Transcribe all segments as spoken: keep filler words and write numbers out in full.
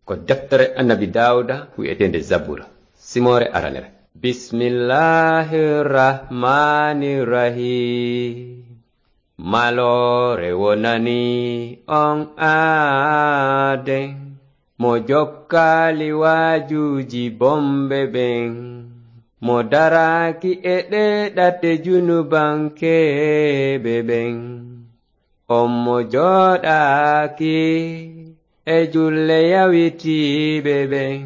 Ko deftere Annabi Daawuda wi'eteende Zabura, simoore aranere. Bismillahir Rahmanir Rahim. Maloore wonani on aaden, mo jokkaali waajuuji bonɓe ɓen, mo daraaki e ɗee ɗate junubankeeɓe ɓen. On mo jooɗaaki e julle yawitiiɓe ɓen,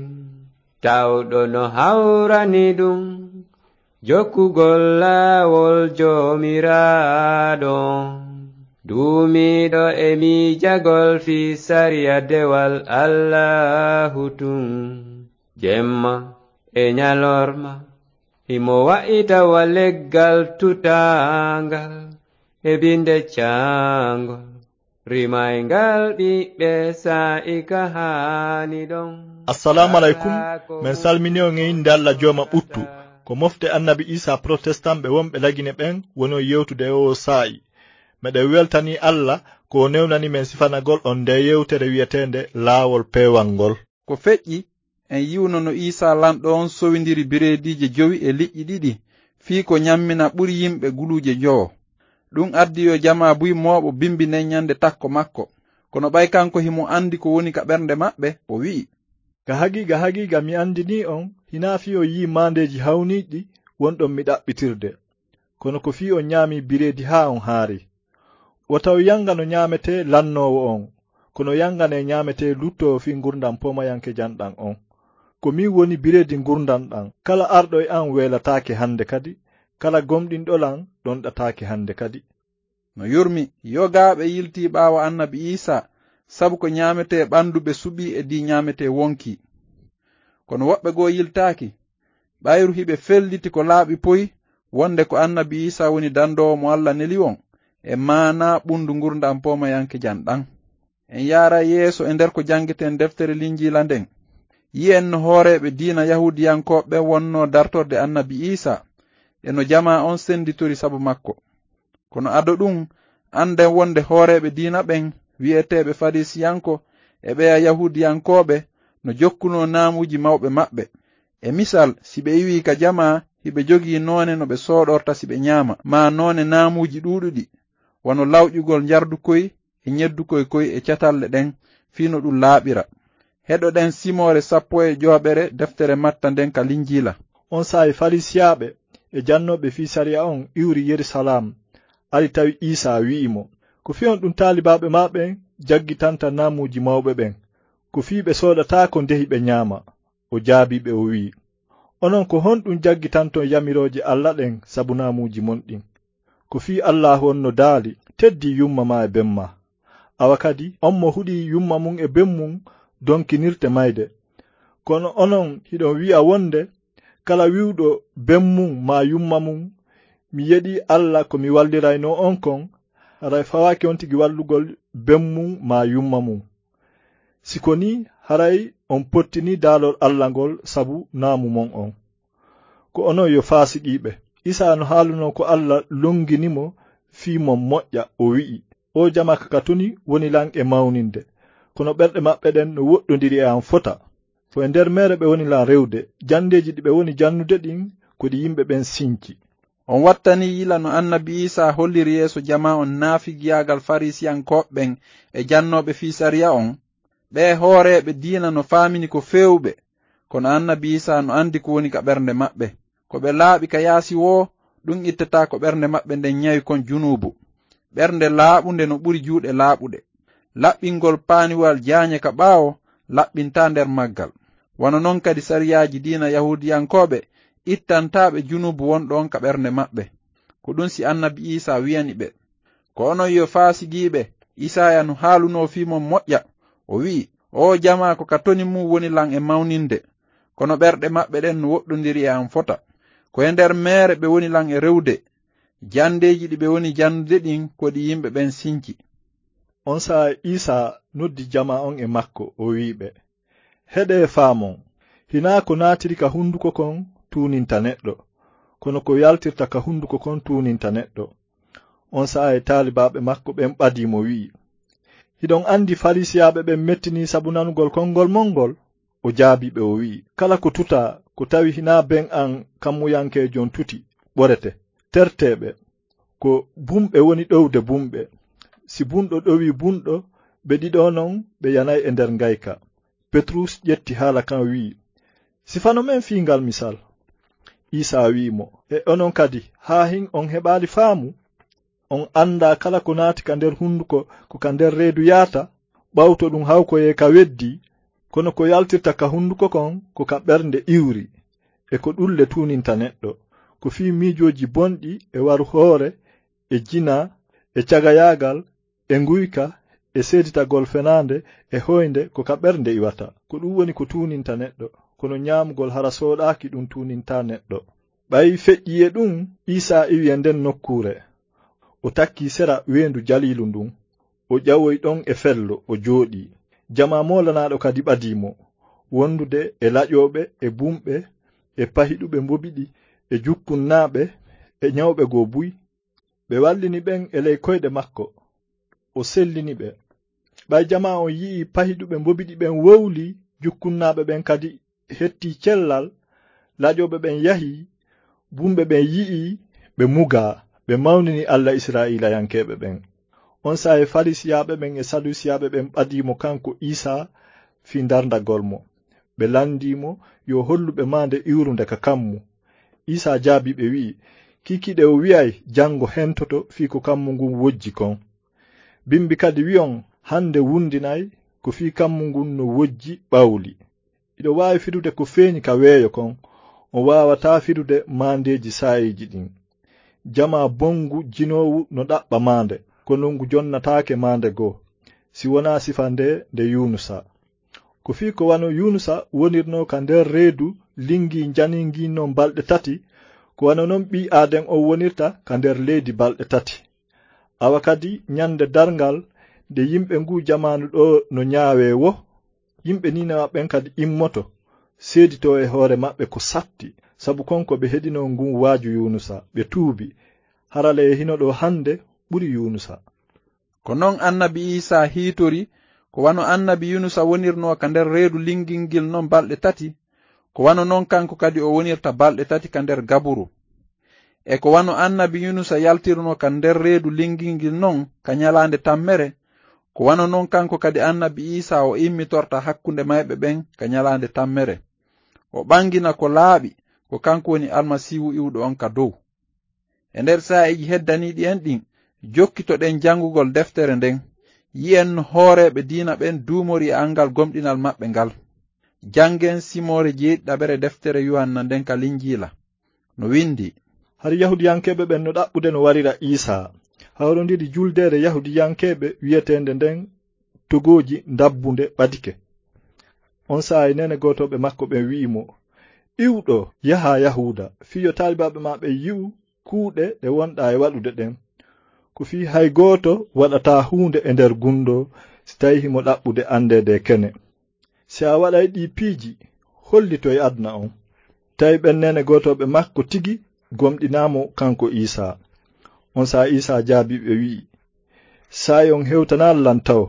tawɗo no hawrani ɗum jokkugol laawol Joomiraaɗo, duumiiɗo e miijagol fii sariya dewal Allaahu tun, jemma e ñalorma, himo wa'ita wa leggal tutaangal e binde caangol, rimayngal ɓiɓɓe saa'i ka haani ɗon. Assalaamu aleykum. Men salmini on e innde Alla Jooma ɓuttu. Ko mofte Annabi Iisaa protestant ɓe wonɓe Lagine ɓen woni on yewtude e oo saa'i. Meɗen weltanii Alla ko o newnani men sifanagol on ndee yewtere wi'eteende Laawol Peewal ngol. Ko feƴƴi, en yi'uno no Iisaa Lanɗo on sowindiri bireediije jowi e liƴƴi ɗiɗi, fii ko ñammina ɓuri yimɓe guluuje njowo. Ɗun addi yo jamaa buy mooɓo bimbi nden ñande takko makko. Kono ɓay kanko himo andi ko woni ka ɓernde maɓɓe, o wi'i, Ka haqiiqa, haqiiqa, mi andinii on, hinaa fii on yi'i maandeeji hawniiɗi wonɗon mi ɗaɓɓitirde, kono ko fii on ñaamii bireedi haa on haari. Wota on yanga no ñaametee lannoowo on, kono yanganee ñaametee luttoowo fii ngurndan poomayankejan ɗan on. Ko min woni bireedi ngurndan ɗan. Kala arɗo e an weelataake hande kadi, kala gomɗinɗo lan ɗonɗataake hande kadi. No yurmi, yogaaɓe yiltii ɓaawo Annabi Iisaa, sabu ko ñaametee ɓandu ɓe suɓii e dii ñaametee wonkii. Kono woɓɓe goo yiltaaki, ɓayru hiɓe felliti ko laaɓi poy, wonde ko Annabi Iisaa woni dandoowo mo Alla neli on, e maanaa ɓundu ngurndan poomayankejan ɗan. En yaaray yeeso e nder ko jangeten deftere Linjiila nden. Yi'en no hooreeɓe diina Yahuudiyankooɓe ɓen wonnoo dartorde Annabi Iisaa, e no jamaa on senditori sabu makko. Kono ado ɗun, anden wonde hooreeɓe diina ɓen, wi'eteeɓe Fariisiyanko, e ɓeya Yahuudiyankooɓe, no jokkunoo naamuuji mawɓe maɓɓe. E misal, si ɓe iwii ka jamaa, hiɓe jogii noone no ɓe sooɗorta si ɓe ñaama, maa noone naamuuji ɗuuɗuɗi, wano lawƴugol njardukoy e ñeddukoy koy e catalle ɗen, fii no ɗun laaɓira. Heɗoɗen simoore sappo e joweeɓere deftere Matta nden ka Linjiila. On saa'i Fariisiyaaɓe e jannooɓe fii sariya on iwri Yerusalaam, ari tawi Iisaa, wi'i mo, Ko fii honɗun taalibaaɓe maa ɓen jaggitanta naamuuji mawɓe ɓen? Ko fii ɓe sooɗataako ndehi ɓe ñaama. O jaabii ɓe, o wi'i, Onon, ko honɗun jaggitanton yamirooje Alla ɗen sabu naamuuji mon ɗin? Ko fii Allaahu on no daali, Teddin yumma maa e ben maa. Awa kadi, on mo huɗii yumma mun e ben mun donkinirte mayde. Kono onon, hiɗon wi'a wonde, Kala wi'uɗo ben mun maa yumma mun, Mi yeɗii Alla ko mi walliraynoo on kon, haray fawaaki on tigi wallugol ben mun maa yumma mun. Si ko nii, haray on pottinii daalol Alla ngol sabu naamu mon on. Ko onon yo faasiqiiɓe. Iisaa no haalunoo ko Alla longini mo fii mon moƴƴa, o wi'i, Oo jamaa ka ka toni woni lan e mawninde, kono ɓerɗe maɓɓe ɗen no woɗɗondiri e an fota. Ko e nder meere ɓe woni lan rewde, janndeeji ɗi ɓe woni jannude ɗin ko ɗi yimɓe ɓen sinci. On wattanii yila no Annabi Iisaa holliri yeeso jamaa on naafigiyaagal Fariisiyankooɓe ɓen e jannooɓe fii sariya on? Ɓee hooreeɓe diina no faamini ko feewuɓe, kono Annabi Iisaa no andi ko woni ka ɓernde maɓɓe. Ko ɓe laaɓi ka yaasi woo, ɗun ittataa ko ɓernde maɓɓe nden ñawi kon junuubu. Ɓernde laaɓunde no ɓuri juuɗe laaɓuɗe. Laɓɓingol paaniwal jaañe ka ɓaawo laɓɓintaa nder maggal. Wano non kadi sariyaaji diina Yahuudiyankooɓe ittantaa ɓe junuubu wonɗo on ka ɓernde maɓɓe. Ko ɗun si Annabi Iisaa wi'ani ɓe, Ko onon yo faasiqiiɓe, Isaaya no haalunoo fii mon moƴƴa. O wi'i, Oo jamaa ko ka toni mun woni lan e mawninde, kono ɓerɗe maɓɓe ɗen no woɗɗondiri e an fota. Ko e nder meere ɓe woni lan e rewde, janndeeji ɗi ɓe woni janndude ɗin ko ɗi yimɓe ɓen sinci. On saa'i Iisaa noddi jamaa on e makko, o wi'i ɓe, Heɗee faamon, hinaa ko naatiri ka hunduko kon tuuninta neɗɗo, kono ko yaltirta ka hunduko kon tuuninta neɗɗo. On saa'i taalibaaɓe makko ɓen ɓadii mo, wi'i, "Hiɗon anndi Fariisiyaaɓe ɓen mettinii sabu nanugol konngol mon ngol?" O jaabii ɓe, o wi'i, "Kala ko tutaa, ko tawi hinaa ben an kammuyankeejo on tuti, ɓorete, tertee ɓe. Ko bumɓe woni ɗowde bumɓe. Si bunɗo ɗowii bunɗo, ɓe ɗiɗo non ɓe yanay e nder ngayka." Petrus ƴetti haala kan, wi'i, "Sifano men fii ngal misal." Iisaa wi'i mo, "E onon kadi, haa hin on heɓaali faamu? On anndaa kala ko naati ka nder hunduko, ko ka nder reedu yaata? Ɓawto ɗun hawkoyee ka weddii, kono ko yaltirta ka hunduko kon, ko ka ɓernde iwri, e ko ɗun le tuuninta neɗɗo. Ko fii miijooji bonɗi, e waru hoore, e jinaa, e cagayaagal, e nguyka, e seeditagol fenaande, e hoynde, ko ka ɓernde iwata. Ko ɗun woni ko tuuninta neɗɗo, kono ɲaamugol hara sooɗaaki ɗun tuunintaa neɗɗo." Ɓay feƴƴii e ɗun, Iisaa iwi e nden nokkuure. O takkii sera weendu Jaliilu ndun. O ƴawoyi ɗon e fello, o jooɗii. Jamaa moolanaaɗo kadi ɓadii mo, wondude e laƴooɓe, e bumɓe, e pahiɗuɓe mbobiɗi, e jukkunnaaɓe, e ɲawɓe goo buy. Ɓe wallini ɓen e ley koyɗe makko. O sellini ɓe. Ɓay jamaa on yi'ii pahiɗuɓe mbobiɗi ɓen wowlii, jukkunnaaɓe ɓen kadi hettii cellal, laƴooɓe ɓen yahii, bumɓe ɓen yi'ii, ɓe mugaa, ɓe mawnini Alla Israa'iilayankeeɓe ɓen. On saa'i Fariisiyaaɓe ɓen e Saduusiyaaɓe ɓen ɓadii mo kanko Iisaa fii ndarndagol mo. Ɓe landii mo yo hollu ɓe maande iwrunde ka kammu. Iisaa jaabii ɓe, wi'i, "Kiikiiɗe o wi'ay, 'Jango hentoto fii ko kammu ngun wojji kon.' Bimbi kadi wi'on, 'Hande wundinay ko fii kammu ngun no wojji ɓawli.' Hiɗo waawi firude ko feeɲi ka weeyo kon, on waawataa firude maandeeji saa'iiji ɗin. Jamaa bongu jinoowu no ɗaɓɓa maande, kono ngu jonnataake maande goo, si wonaa sifa nde nde Yuunusa. Ko fii ko wano Yuunusa wonirnoo ka nder reedu linngii njanii ngin non balɗe tati, ko wano non ɓii Aaden on wonirta ka nder leydi balɗe tati. Awa kadi ɲande darngal, nde yimɓe nguu jamaanu ɗoo no ɲaawee woo, yimɓe Niinawa ɓen kadi immoto, seeditoo e hoore maɓɓe ko satti, sabu kon ko ɓe heɗinoo ngun waaju Yuunusa, ɓe tuubi. Hara le e hino ɗoo hande ɓuri Yuunusa." Ko non annabi Iisaa hiitori, ko wano annabi Yuunusa wonirnoo ka nder reedu linngingil non balɗe tati, ko wano non kanko kadi o wonirta balɗe tati ka nder gaburu. E ko wano annabi Yuunusa yaltirnoo ka nder reedu linngingil non ka ɲalaande tammere, ko wano non kanko kadi annabi Iisaa o immitorta hakkunde mayɓe ɓen ka ɲalaande tammere. O ɓangina ko laaɓi, ko kanko woni Almasiihu iwɗo on ka dow. E nder saa'iiji heddaniiɗi en ɗin, jokkitoɗen janngugol deftere nden, yi'en no hooreeɓe diina ɓen duumori e anngal gomɗinal maɓɓe ngal. Janngen simoore jeeɗiɗaɓere deftere Yuhanna nden ka Linjiila. No windi, "Hari Yahuudiyankeeɓe ɓen no ɗaɓɓude no warira Iisaa. Hawrondiri juldeere Yahuudiyankeeɓe wi'eteende nden Togooji Ndabbunde ɓadike." On saa'i neene gootooɓe makko ɓen wi'i mo, "Iwɗo, yahaa Yahuuda, fii yo taalibaaɓe maa ɓen yi'u kuuɗe ɗe wonɗaa e waɗude ɗen. Ko fii hay gooto waɗataa huunde e nder gunndoo si tawii himo ɗaɓɓude anndeede e kene. Si a waɗay ɗii piiji, hollito e aduna on." Tawi ɓen neene gootooɓe makko tigi gomɗinaa mo kanko Iisaa. On saa'i Iisaa jaabii ɓe, wi'i, "Saa'i on hewtanaali lan taw,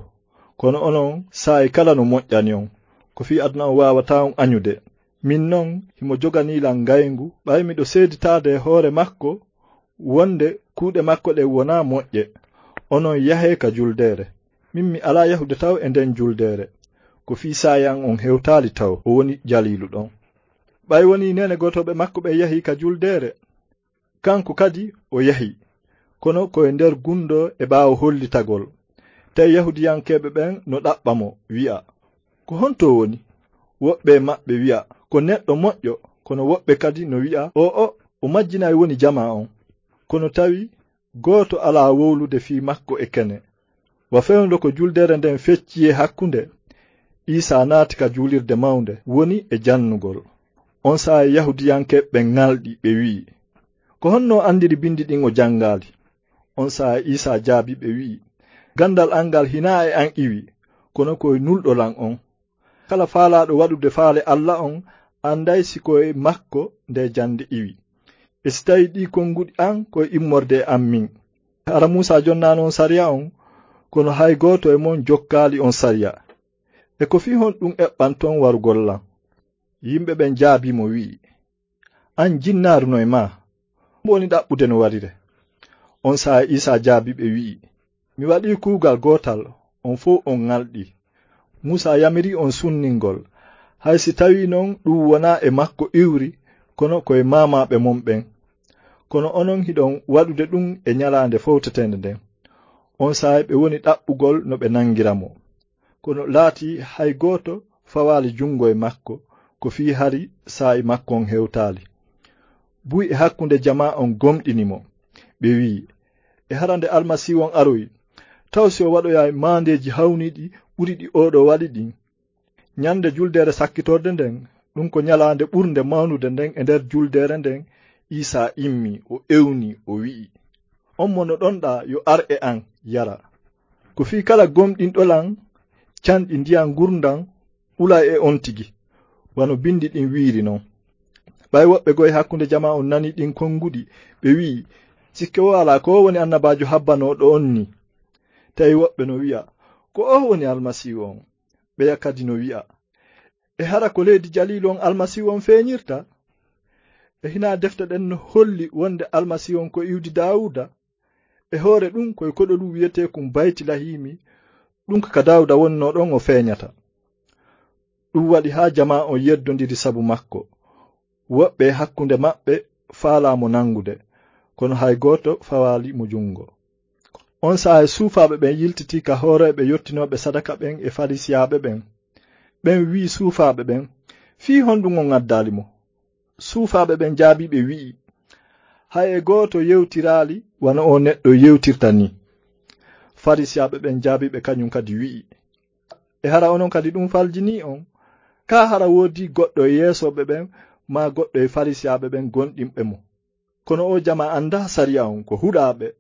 kono onon saa'i kala no moƴƴani on. Ko fii aduna on waawataa on aɲude. Min non, himo joganii lan ngayngu, ɓay miɗo seeditaade e hoore makko wonde kuuɗe makko ɗen wonaa moƴƴe. Onon yahee ka juldeere. Min mi alaa yahude taw e nden juldeere. Ko fii saa'i an on hewtaali taw, o woni Jaliilu ɗon." Ɓay wonii neene gootooɓe makko ɓen yahii ka juldeere, kanko kadi o yahi, kono ko e nder gunndoo e ɓaawo hollitagol. Tawi Yahuudiyankeeɓe ɓen no ɗaɓɓa mo, wi'a, "Ko honto o woni?" Woɓɓe e maɓɓe wi'a, "Ko neɗɗo moƴƴo," kono woɓɓe kadi no wi'a, "O'o, o majjinay woni jamaa on." Kono tawi gooto alaa wowlude fii makko e kene. Wa fewndo ko juldeere nden feccii e hakkunde, Iisaa naati ka juulirde mawnde, woni e jannugol. On saa'i Yahuudiyankeeɓe ɓen ŋalɗi, ɓe wi'i, "Ko honno o anndiri bindi ɗin o janngaali?" On saa'i Iisaa jaabii ɓe, wi'i, "Ganndal an ngal hinaa e an iwi, kono ko e nulɗo lan on. Kala faalaaɗo waɗude faale Alla on annday si ko e makko nde jannde iwi. E si tawii ɗii konnguɗi an ko e immorde e an min. Hara Muusaa jonnaano on sariya on, kono hay gooto e mon jokkaali on sariya. E ko fii honɗun eɓɓanton warugol lan?" Yimɓe ɓen jaabii mo, wi'i, "An jinnaaru no e maa, hombo woni ɗaɓɓude no warire?" On saa'i Iisaa jaabii ɓe, wi'i, "Mi waɗii kuugal gootal, on fow on ŋalɗii. Muusaa yamirii on sunningol, hay si tawii non ɗun wonaa e makko iwri, kono ko e maamaaɓe mon ɓen. Kono onon hiɗon waɗude ɗun e ɲalaande fowteteende nden." On saa'i ɓe woni ɗaɓɓugol no ɓe nangira mo. Kono laatii hay gooto fawaali junngo e makko, ko fii hari saa'i makko on hewtaali. Buy e hakkunde jamaa on gomɗini mo. Ɓe wi'i, "E hara nde Almasiihu on aroyi, taw si o waɗoyaay maandeeji hawniiɗi ɓuri ɗi oo ɗoo waɗi ɗin?" Ɲande juldeere sakkitorde nden, ɗun ko ɲalaande ɓurnde mawnude nden e nder juldeere nden, Iisaa immii, o ewnii, o wi'i, "On mo noɗonɗaa yo ar e an, yara." Ko fii kala gomɗinɗo lan, canɗi ndiyan ngurndan ɓulay e on tigi, wano bindi ɗin wi'iri non. Ɓay woɓɓe goo e hakkunde jamaa on nanii ɗin konguɗi, ɓe wi'i, "Sikke woo alaa ko oo woni annabaajo habbanooɗo on nii." Tawi woɓɓe no wi'a, "Ko oo woni Almasiihu on." Ɓeya kadi no wi'a, "E hara ko leydi Jaliilu on Almasiihu on feeɲirta? E hinaa defte ɗen no holli wonde Almasiihu on ko iwdi Daawuuda? E hoore ɗun, ko e koɗolu wi'eteekun Baytilahiimi, ɗun ko ka Daawuuda wonnoo ɗon o feeɲata." Ɗun waɗi haa jamaa on yeddondiri sabu makko. Woɓɓe e hakkunde maɓɓe faalaa mo nangude, kono hay gooto fawaali mo junngo. On saa'i suufaaɓe ɓen yiltitii ka hooreeɓe yottinooɓe sadaka ɓen e Fariisiyaaɓe ɓen. Ɓen wi'i suufaaɓe ɓen, "Fii honɗun on addaali mo?" Suufaaɓe ɓen jaabii ɓe, wi'i, "Hay e gooto yewtiraali wano oo neɗɗo yewtirta nii." Fariisiyaaɓe ɓen jaabii ɓe kaɲun kadi, wi'i, "E hara onon kadi ɗun faljinii on? Kaa hara woodii goɗɗo e yeesooɓe ɓen maa goɗɗo e Fariisiyaaɓe ɓen gomɗinɓe mo?" Kono oo jamaa anndaa sariya on, ko huɗaaɓe.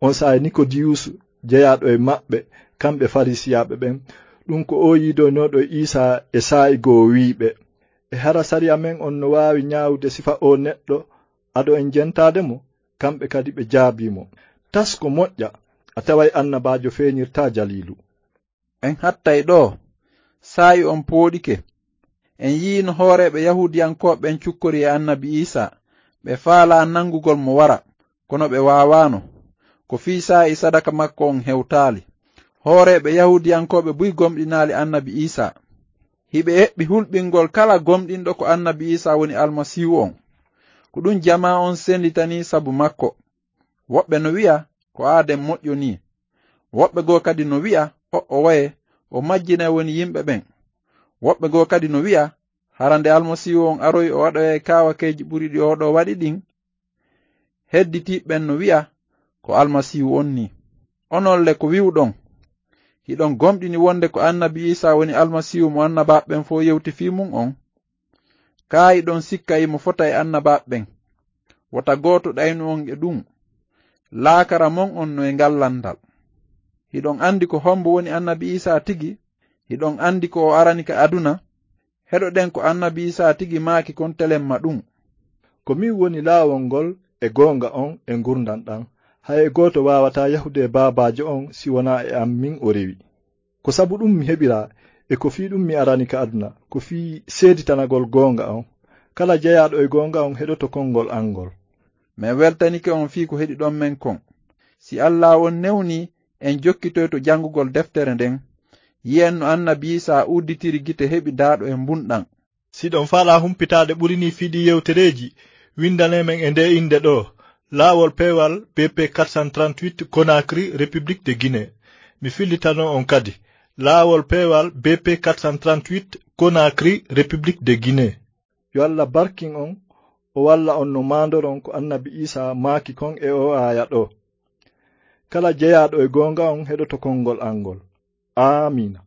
On saa'i Nikodiyuusu, jeyaaɗo e maɓɓe, kamɓe Fariisiyaaɓe ɓen, ɗun ko oo yiidoynooɗo e Iisaa e saa'i goo, wi'i ɓe, "E hara sariya men on no waawi ɲaawude sifa oo neɗɗo ado en jentaade mo?" Kamɓe kadi ɓe jaabii mo, "Tas ko moƴƴa, a taway annabaajo feeɲirtaa Jaliilu." En hattay ɗoo. Saa'i on pooɗike. En yi'ii no hooreeɓe Yahuudiyankooɓe ɓen cukkori e annabi Iisaa, ɓe faalaa nangugol mo wara, kono ɓe waawaano. Ko fii saa'i sadaka makko on hewtaali. Hooreeɓe Yahuudiyankooɓe buy gomɗinaali annabi Iisaa. Hiɓe eɓɓi hulɓingol kala gomɗinɗo ko annabi Iisaa woni Almasiihu on. Ko ɗun jamaa on senditanii sabu makko. Woɓɓe no wi'a ko aaden moƴƴo nii. Woɓɓe goo kadi no wi'a o'o waye o majjinay woni yimɓe ɓen. Woɓɓe goo kadi no wi'a hara nde Almasiihu on aroyi o waɗoyay kaawakeeji ɓuri ɗi oo ɗoo waɗi ɗin. Hedditiiɓe ɓen no wi'a ko Almasiihu on nii. Onon le ko wi'uɗon? Hiɗon gomɗini wonde ko annabi Iisaa woni Almasiihu mo annabaaɓe ɓen fow yewti fii mun on? Kaa hiɗon sikka himo fota e annabaaɓe ɓen? Wota gooto ɗaynu on e ɗun. Laakara mon on no e ngal lanndal. Hiɗon anndi ko hombo woni annabi Iisaa tigi? Hiɗon anndi ko o arani ka aduna? Heɗoɗen ko annabi Iisaa tigi maaki kon telemma ɗun. Ko min woni laawol ngol e goonga on e ngurndan ɗan. Hay e gooto waawataa yahude e Baabaajo on si wonaa e an min o rewi. Ko sabu ɗun mi heɓiraa, e ko fii ɗun mi arani ka aduna, ko fii seeditanagol goonga on. Kala jeyaaɗo e goonga on heɗoto konngol an ngol. Men weltanike on fii ko heɗiɗon men kon. Si Allaahu on newnii, en jokkitoyto janngugol deftere nden. Yi'en no annabi Iisaa udditiri gite heɓi daaɗo e mbunɗan. Si ɗon faalaa humpitaade ɓuri nii fii ɗii yewtereeji, winndanee men e ndee innde ɗoo, Laawol Peewal B P quatre cent trente-huit, Conakry, République de Guinée. Mi fillitanoo on kadi, Laawol Peewal B P quatre cent trente-huit, Conakry, République de Guinée. Yo Alla barkin on, o walla on no maandoron ko annabi Iisaa maaki kon e oo aaya ɗoo. Kala jeyaaɗo e goonga on heɗoto konngol an ngol. Aamiina.